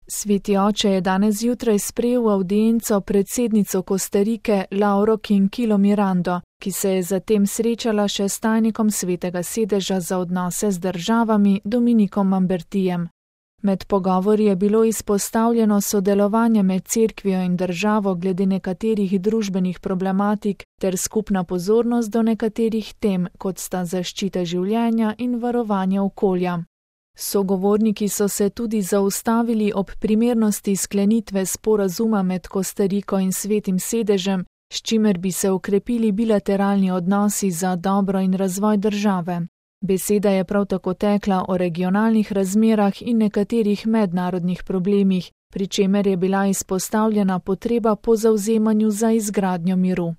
Sveti oče je danes zjutraj sprejel v avdienco predsednico Kostarike Lauro Quinquilo Mirando, ki se je zatem srečala še s tajnikom Svetega sedeža za odnose z državami Dominikom Mambertijem. Med pogovori je bilo izpostavljeno sodelovanje med cerkvijo in državo glede nekaterih družbenih problematik ter skupna pozornost do nekaterih tem, kot sta zaščita življenja in varovanje okolja. Sogovorniki so se tudi zaustavili ob primernosti sklenitve sporazuma med Kostariko in Svetim sedežem, s čimer bi se okrepili bilateralni odnosi za dobro in razvoj države. Beseda je prav tako tekla o regionalnih razmerah in nekaterih mednarodnih problemih, pri čemer je bila izpostavljena potreba po zavzemanju za izgradnjo miru.